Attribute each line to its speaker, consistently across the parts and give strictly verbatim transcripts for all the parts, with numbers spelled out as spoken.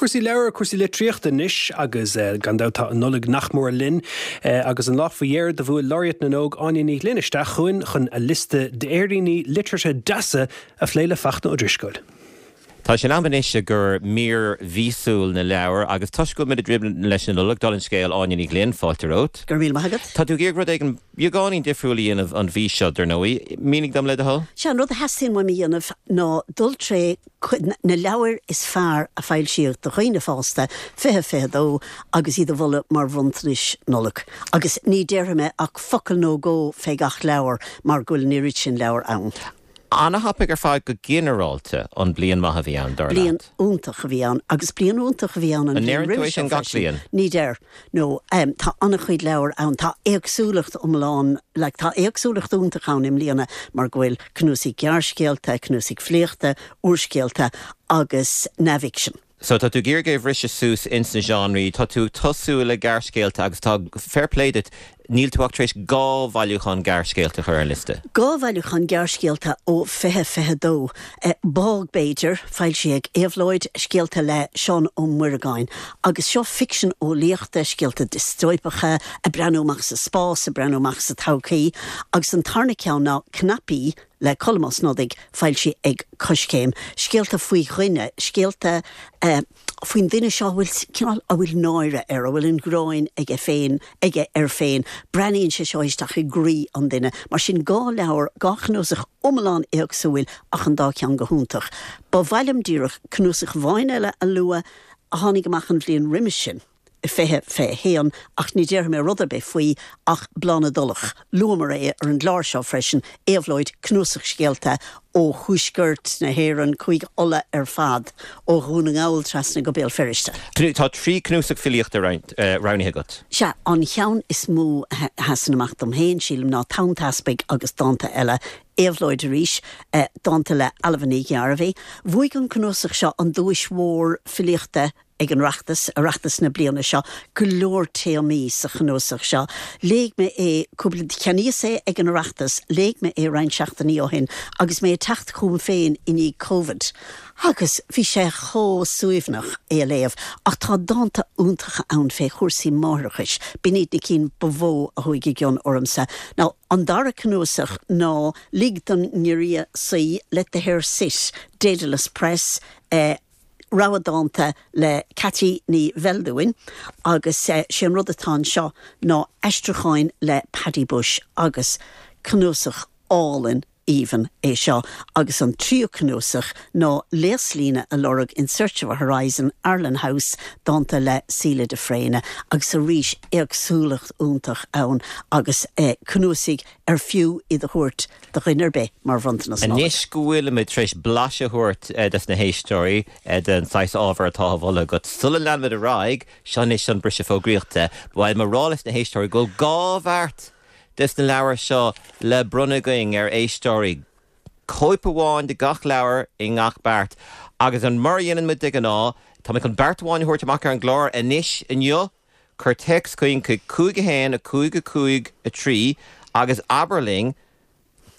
Speaker 1: Cúrsaí leabhar cúrsaí litríochta anois agus uh, gan dabht tá an Nollaig nach mór linn uh, agus an lá faoi dheireadh do bhuail Laureate na nÓg Áine Ní Ghlinn isteach chugainn chun a liosta d'fhéiríní liteartha deasa a phlé le Fachtna Ó Drisceoil.
Speaker 2: Tá sin anois gur mír mhíosúil na leabhar agus toisc go bhfuil muid leis an Nollaig dála an scéil Áine Ní Ghlinn fáilte romhat.
Speaker 3: Gur mí agad?
Speaker 2: Tá tú ag rud éigin beagáinín difriúil a dhéanamh an mhí seo dar ndóigh, mínigh dom le do thoil?
Speaker 3: Sé an rud a theastaíonn uaim a dhéanamh ná dul trí na leabhair is fearr a foilsíodh do dhaoine fásta fiche fiche dó agus iad a mholadh mar bhronntanais Nollag. Agus ní déarfaidh mé ach focal nó dhó fé gach leabhar mar go bhfuil an oiread sin leabhar ann.
Speaker 2: An-thapaidh ar fad go ginearálta an bliain maith a bhí ann dar
Speaker 3: Bliain iontach a bhí ann agus bliain iontach a bhí ann
Speaker 2: an ndeireann sin gach bliain.
Speaker 3: Ní deir nó um, tá an-chuid leabhar ann tá éagsúlacht iomlán le tá éagsúlacht iontach ann i mbliana mar go bhfuil cnuasaigh gearrscéalta, cnuasaigh filíochta, úrscéalta agus neamhfhicsean.
Speaker 2: So tá tú ag iarraidh briseadh suas ins na genrí, tá tú tosú le gearrscéalta agus tá fair play duit níl tú ach tar éis dhá bhailiúchán gearrscéalta chur ar liosta.
Speaker 3: Dhá bhailiúchán gearrscéalta ó fiche fiche dó. Eh, Bog b'fhéidir foilsithe ag Éabhlóid scéalta le Seán Ó Muireagáin, agus seo ficsean eolaíochta scéalta diostóipeacha ag breathnú amach sa spás ag breathnú amach sa todhchaí, agus an tarna ceann ná Cnaipí le Colm Ó Snodaigh foilsithe ag Coiscéim, scéalta faoi dhuine, scéalta uh, faoin duine seo bhfuil cineál a bhfuil náire air a bhfuil an ghráin aige féin aige air féin, Breathnaíonn sé seo isteach i gcroí an duine, mar sin dhá leabhar dhá chnuasach iomlán éagsúil ach an dá cheann go hiontach. Ba mhaith liom díreach cnuasach amháin eile a lua a tháinig amach an bhliain roimhe sin. fiche fiche haon ach ní déarfaidh mé rud ar bith faoi ach Bláth na dTulach. Luamar é ar an gclár seo freisin Éabhlóid cnuasach scéalta ó thuaisceart na hÉireann Cúige Uladh ar fad ó Dhún na nGall trasna go Béal Feirste.
Speaker 2: Tá trí cnuasach filíochta roghnaithe agat.
Speaker 3: Sea an ceann is mó a sheasann amach dom féin sílim ná Tonn Teaspaigh agus dánta eile. Éabhlóid arís eh, dánta le Ailbhe Ní Ghearbhuigh. Bhuaigh an cnuasach seo an duais mhór filíochta ag an Oireachtas Oireachtas na bliana seo go leor téamaí sa chnuasach seo. Léigh mé é cúpla cheannaíos é ag an Oireachtas, léigh mé é roinnt seachtainí ó shin agus mé teacht chugam féin i ndiaidh COVID. Agus bhí sé chomh suaimhneach é a léamh, ach tá dánta iontacha ann fé chúrsaí máithreachais, b'in iad na cinn ba mhó a chuaigh i gcion ormsa. Ná an dara cnuasach ná Lig don nGiorria Suí Let the Hare Sit, Dedalus Press, eh, rogha dánta le Ceaití Ní Bheildiúin agus eh, sé an rud atá anseo ná aistriúcháin le Paddy Bush agus cnuasach álainn aoibhinn é seo agus an tríú cnuasach ná Léaslíne a Lorg in Search of a Horizon Arlen House dánta le Síle de Fréine agus arís éagsúlacht iontach ann agus eh, cnuasaigh ar fiú iad a thabhairt do dhuine ar bith mar bhronntanas.
Speaker 2: Anois go bhfuil tar éis blaiseadh a thabhairt eh, des na héisteoirí eh, den saghas ábhar atá á mholadh agat sula leanfaimid ar aghaidh seo anois an briseadh fógraíochta, Bhfuil mar rá leis na héisteoirí go dhá bheart des na leabhair seo le bronnadh againn ar éisteoirí. Cóip amháin de gach leabhar i ngach beart. Agus an mar dhéanann muid de ghnáth, Tá chun beart amháin a thabhairt amach ar an gclár anois inniu, Cuir téacs chugainn chuig cúig a haon a cúig a cúig a trí agus abair linn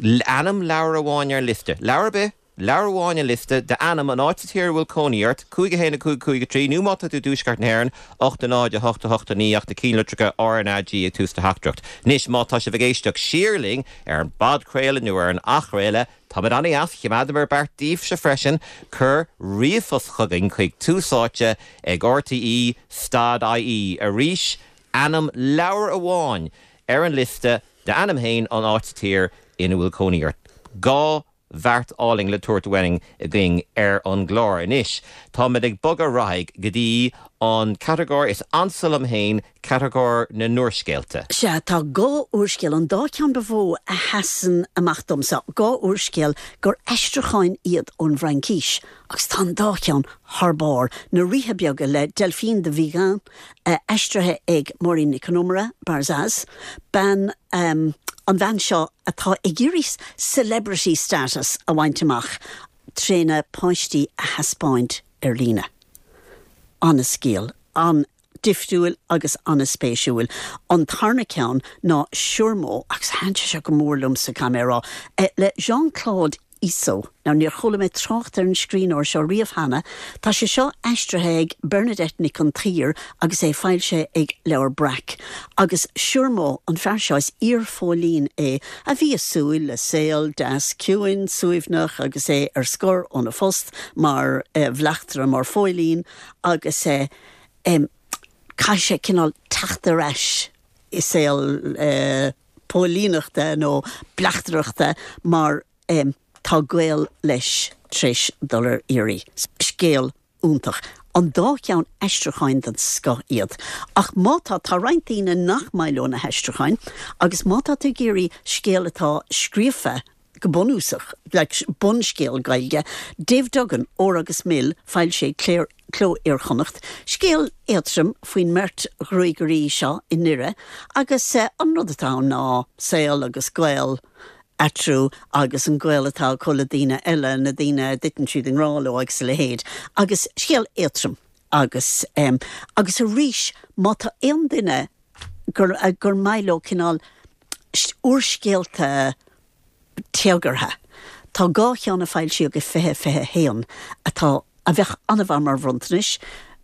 Speaker 2: ainm leabhar amháin ar liosta. Leabhar bith, leabhar amháin ar liosta d'ainm an áit sa tír bhfuil cónaí ort, cúig a haon a cúig cúig a trí nó má tá tú i dtuaisceart na hÉireann, ocht a náid a hocht a hocht a naoi ach na ceannlitreacha RnaG ag tús do theachtaireacht. Anois má tá sibh ag éisteacht siar linn ar an bpodchraoladh nó ar an athchraoladh, Tá an-deas choimeádamar beart daoibhse freisin cuir ríomhphost chugainn chuig Tús Áite ag RTE stad IE arís ainm leabhar amháin ar an liosta d'ainm féin an áit sa tír ina bhfuil cónaí ort. Dhá bheart álainn le tabhairt uainn againn ar an gclár. Anois Táimid ag bogadh ar aghaidh go dtí an catagóir is ansa liom féin catagóir na n-úrscéalta.
Speaker 3: Sea tá dhá úrscéal an dá cheann ba mhó a sheasann amach domsa dhá úrscéal gur aistriúcháin iad ón bhFraincis, agus tá an dá cheann thar barr na Ríthe Beaga le Delphine de Vigan uh, aistrithe ag Máirín Nic Con Iomaire Barzaz, bean um, an bhean seo atá ag iarraidh celebrity status a bhaint amach trína páistí a thaispeáint ar líne. An-scéal, an-difriúil agus an-spéisiúil. An tarna ceann ná Siormó agus thaitin sé go mór liomsa camerá eh, le Jean-Claude Iso. Now níor chuala mé trácht ar an scríbhneoir seo riamh cheana, tá sé seo aistrithe ag Bernadette Nic an tSaoir agus é foilsithe ag Leabhar Breac. Agus Siúrmó an fear seo is iarphóilín é a bhí ag súil le saol deas ciúin suaimhneach agus é ar scor óna phost mar eh, bhleachtaire mar phóilín agus eh, em, caithfidh sé cineál teacht ar ais i saol eh, póilíneachta nó bleachtaireachta mar um, tá gaol leis tar éis dul ar iarraidh. Scéal iontach. An dá cheann aistriúcháin den scoth iad. Ach má tá tá roinnt daoine nach maith leo na haistriúcháin, agus má tá tú ag iarraidh scéal atá scríofa go bunúsach le bunscéal Gaeilge, Dave Duggan Ór agus Mil foilsithe ag Cló Iar-Chonnacht, scéal éadrom faoin mbeirt ghruagairí seo i nDoire, agus eh, an rud atá ná saol agus gaol eatarthu agus an gaol atá acu le daoine eile na daoine a dtiteann siad i ngrá leo agus a leithéid. agus scéal éadrom agus um, agus arís má tá aon duine gur, uh, gur maith leo cineál úrscéalta téagartha. Tá dhá cheann a foilsíodh i fiche fiche haon atá a bheadh an-mhaith mar bhronntanais,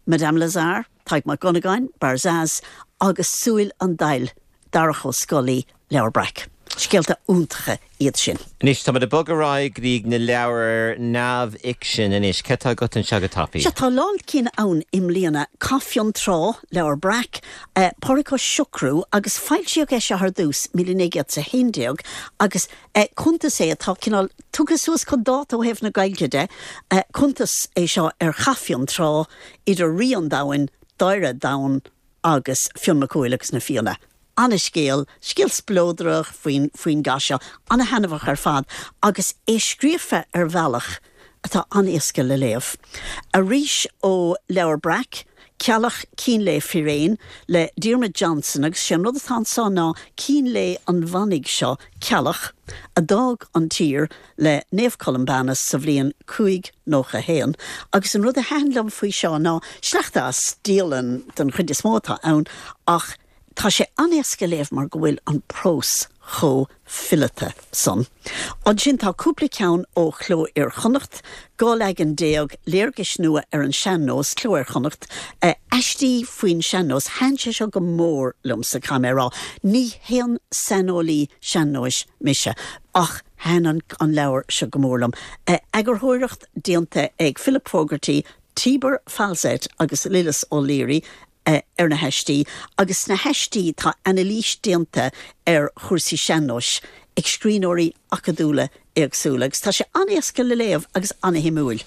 Speaker 3: Madame Lazare, Tadhg Mac Dhonnagáin, Barzaz agus Súil an Daill Darach Ó Scolaí Leabhar Breac. Scéalta iontacha iad sin.
Speaker 2: Anois tá ag bogadh ar aghaidh go dtí na leabhair neamhfhicsin anois cad tá agat anseo go tapaidh.
Speaker 3: Sea tá lán cinn ann i mbliana Cath Fionntrá Leabhar Breac, eh, Pádraig Ó Siochrú agus foilsíodh é seo ar dtús míle naoi gcéad a haon déag agus eh, cuntas é atá cineál tugtha suas chun dáta ó thaobh na Gaeilge de, eh, cuntas é seo ar Chath Fionntrá idir rí an domhain, Dáire Donn agus Fionn Mac Cumhaill agus na Fianna. An-scéal, scéal spleodrach faoin faoin gcath seo, an-thaitneamhach ar fad, agus é scríofa ar bhealach atá an-éasca le léamh. Arís ó Leabhar Breac, Ceallach Cín Lae Firéin le Diarmuid Johnson agus sé an rud atá anseo ná cín lae an mhanaigh seo Ceallach a d'fhág an tír le Naomh Columbanus sa bhliain cúig nócha haon, agus an rud a thaitin liom faoi seo ná sleachta as dialann den chuid is mó atá ann ach tá sé an-éasca léamh mar go bhfuil an prós chomh fileata san. Ansin tá cúpla ceann ó Chló Iar-Chonnacht, dhá leagan déag léargais nua ar an sean-nós Cló Iar-Chonnacht, eh, aistí faoin sean-nós thaitin sé seo go mór liomsa caithfidh mé a rá. Ní haon saineolaí sean-nóis mise ach thaitin an, an leabhar seo go mór liom. Eh, eagarthóireacht déanta ag Philip Fogarty, Tibor Falzett agus Lillis O'Leary eh, ar na haistí, agus sna haistí tá anailís déanta ar chúrsaí sean-nóis ag scríbhneoirí acadúla éagsúla, agus tá sé an-éasca le léamh agus an-shuimiúil.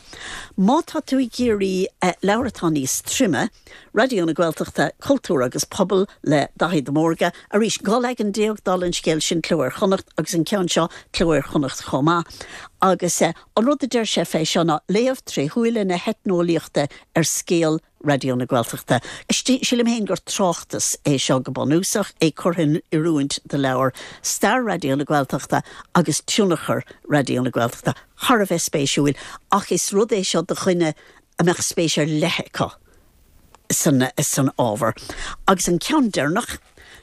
Speaker 3: Má tá tú ag iarraidh eh, leabhar atá níos troime, Raidió na Gaeltachta, Cultúr agus Pobal le Daithí de Mórdha, arís dhá leagan déag dála an scéil sin Cló Iar-Chonnacht agus an ceann seo Cló Iar-Chonnacht chomh maith. Agus eh, an rud a deir sé fé seo ná léamh tré shúile na heitneolaíochta ar scéal Raidió na Gaeltachta. Sílim féin gur tráchtas é seo go bunúsach é curtha in oiriúint do leabhar Stair Raidió na Gaeltachta agus tionchar Raidió na Gaeltachta thar a bheith spéisiúil ach is rud é seo do dhuine a mbeadh spéis ar leith acu san, san ábhar. Agus an ceann deireanach,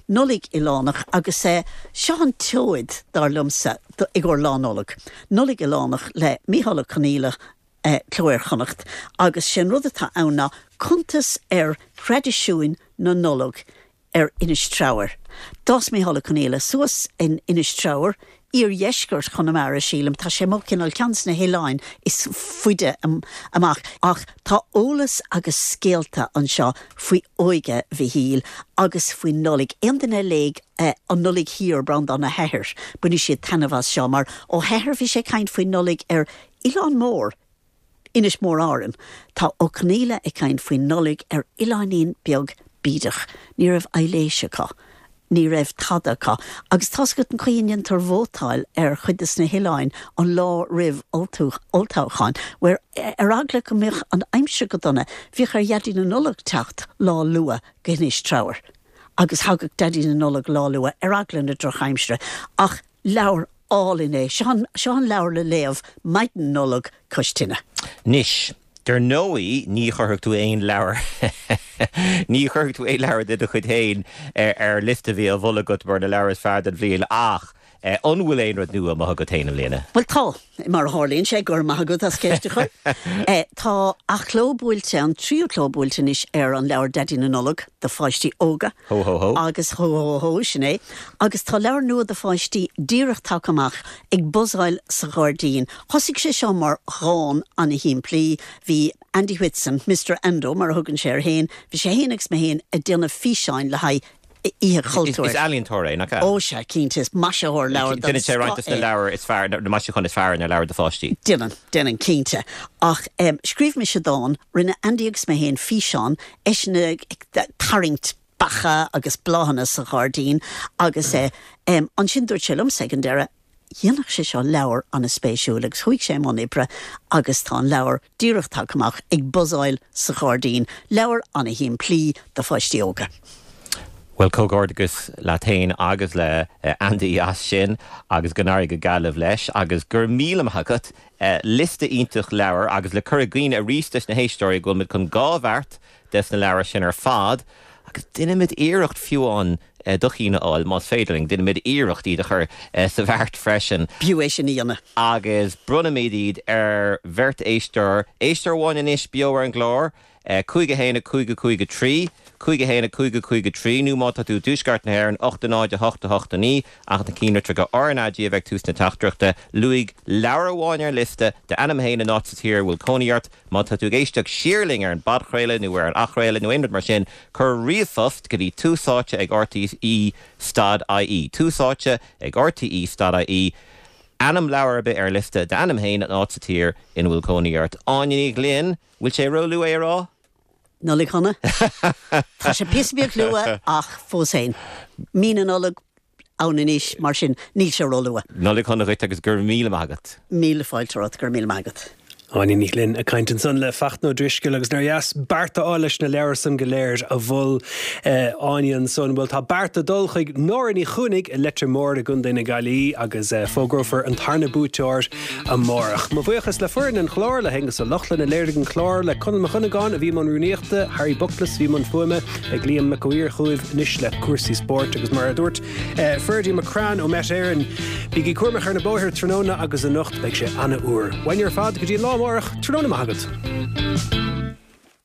Speaker 3: Nollaig Oileánach agus é seo an tseoid dar liomsa i gcomhair Lá Nollag. Nollaig Oileánach le Mícheál Ó Conghaile eh, Cló Iar-Chonnacht, agus sin rud atá ann ná cuntas ar thraidisiúin na Nollag ar Inis Treabhair. D'fhás Mícheál Ó Conghaile suas in Inis Treabhair, iardheisceart Chonamara sílim, tá sé mo cineál ceann de na hoileáin is faide amach ach tá eolas agus scéalta anseo faoi óige Mhichíl agus faoi Nollaig. Aon duine a léigh eh, an Nollaig Thiar Breandán Ó hEithir, bainfidh siad taitneamh as seo mar Ó hEithir bhí sé ag caint faoi Nollaig ar Oileán Mór. Inis Mór Árann, Tá Ó Conghaile ag caint faoi Nollaig ar oileáinín beag bídeach, ní raibh aibhléis acu. Ní raibh tada acu, agus tá go an chuoíonn tar vótáil ar chuid de na hoileáin an lá roimh olltoghchán, where ar eagla go mbeadh an aimsir go dona, bhíodh ar Dhaidí na Nollag teacht lá luath go hInis Treabhair. Agus thagadh Daidí na Nollag lá luath ar eagla na drochaimsire, ach leabhar álainn é seo an leabhar le léamh maidin Nollag cois tine.
Speaker 2: Anois, Dar ndóigh ní chuirfeadh tú aon leabhar ní chuirfeadh tú aon leabhar de do chuid féin ar ar liosta bhí á mholadh agat mar na leabhair is fearr den bhliain ach An bhfuil aon rud nua amuigh agat féin i mbliana?
Speaker 3: Bhuel tá, mar a tharlaíonn sé, go raibh maith agat as ceist a chur. Tá athchló buailte, an tríú cló buailte anois ar an leabhar Daidí na Nollag do pháistí óga.
Speaker 2: Hó hó hó.
Speaker 3: Agus hó hó hó, sin é. Agus tá leabhar nua do pháistí díreach tagtha amach ag Buzzáil sa Ghairdín. Thosaigh sé seo mar dhán an-shimplí. Bhí Andy Whitson, Mister Ando mar a thugann sé air féin, bhí sé féin agus mé féin ag déanamh físeáin le haghaidh Oíche Chultúir.
Speaker 2: Is ealaíontóir é, nach ea?
Speaker 3: Ó sea, cinnte, is maisitheoir leabhar
Speaker 2: den scoth é. Déanann sé roinnt de na leabhair is fearr, na maisiúcháin is fearr ar leabhair do pháistí.
Speaker 3: Déanann, déanann, cinnte. Ach scríobh mise dán, rinne Andy agus mé féin físeán, eisean ag tarraingt beacha agus bláthanna sa ghairdín agus ansin dúirt sé liomsa ag an deireadh, Dhéanfadh sé seo leabhar an-spéisiúil agus chuaigh sé i mbun oibre agus tá an leabhar díreach tagtha amach, Ag Buzzáil sa Ghairdín, leabhar an-shimplí do pháistí óga.
Speaker 2: Bhuel, comhghairdeachas leat féin agus le Andy as sin agus go n-éirí go Gaillimh leis agus go raibh míle maith agat. Liosta iontach leabhar agus le cur i gcuimhne arís dos na héisteoirí go bhfuil muid chun dhá bheart des na leabhair sin ar fad agus déanfaimid iarracht fiú amháin do chinn a fháil, más féidir linn, déanfaimid iarracht iad a chur sa bheart freisin.
Speaker 3: B'fhiú é sin a dhéanamh.
Speaker 2: Agus bronnfaimid iad ar bheirt éisteoir, éisteoir amháin anois beo ar an gclár, cúig a haon a cúig a cúig a trí, cúig a haon a cúig a cúig a trí, nó má tá tú i dtuaisceart na hÉireann, ocht a náid a hocht a hocht a naoi, ach na ceannlitreacha RnaG a bheidh tús na teachtaireachta. Luaigh leabhar amháin ar an liosta, d'ainm féin, an áit sa tír a bhfuil cónaí ort. Má tá tú ag éisteacht siar linn ar an bpodchraoladh nó ar an athchraoladh nó aon rud mar sin, cuir ríomhphost go dtí tús áite ag rte stad ie, tús áite ag rte stad ie, ainm leabhar ar bith ar an liosta, d'ainm féin, an áit sa tír ina bhfuil cónaí ort. Áine Ní Ghlinn, bhfuil sé róluath é a rá?
Speaker 3: Nollaig shona. Tá sé píosa beag luath ach fós féin, mí na Nollag ann anois, mar sin níl sé róluath.
Speaker 2: Nollaig shona dhuit agus go raibh míle maith agat.
Speaker 3: Míle fáilte romhat, go raibh míle maith agat.
Speaker 1: Áine Ní Ghlinn ag caint ansan le Fachtna Ó Drisceoil agus nár dheas beart a fháil leis na leabhair san go léir a mhol Áine ansan. Bhuel tá beart ag dul chuig Nóra Ní Chuanaigh i Leitir Móir i gContae na Gaillimhe agus fógrófar an tarna buaiteoir amárach. Mo bhuíochas le foireann an chláir, le hAonghus Ó Lochlainn a léirigh an clár, le Conall Mac Dhonnagáin a bhí i mbun rúnaíochta, Harry Bookless a bhí i mbun fuaime, beidh Liam Mac Uidhir chugaibh anois le cúrsaí spóirt agus mar a dúirt Ferdie McCrann ó Met Éireann, bígí cúramach ar na bóithre tráthnóna agus anocht, beidh sé an-fhuar. Uainne ar fad go dtí an lá amárach, tráthnóna maith agat.